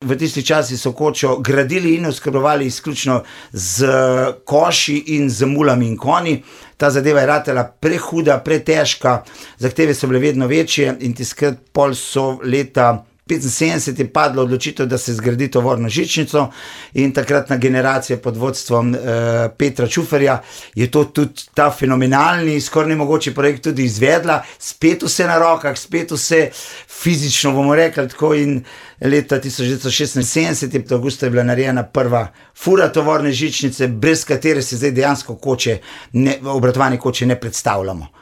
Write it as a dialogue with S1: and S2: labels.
S1: V tistih časih so kočo gradili in oskrbovali izključno z koši in z mulami in konji. Ta zadeva je ratela prehuda, pretežka, zahteve so bile vedno večje in tiskrat pol so leta 75 je padla odločitev, da se zgradi tovorno žičnico, in takratna generacija pod vodstvom Petra Čuferja je to tudi ta fenomenalni, skoraj nemogoči projekt tudi izvedla, spet vse na rokah, spet vse fizično, bomo rekli tako, in leta 1976, avgusta je bila narejena prva fura tovorne žičnice, brez katere se zdaj dejansko obratovanje koče ne predstavljamo.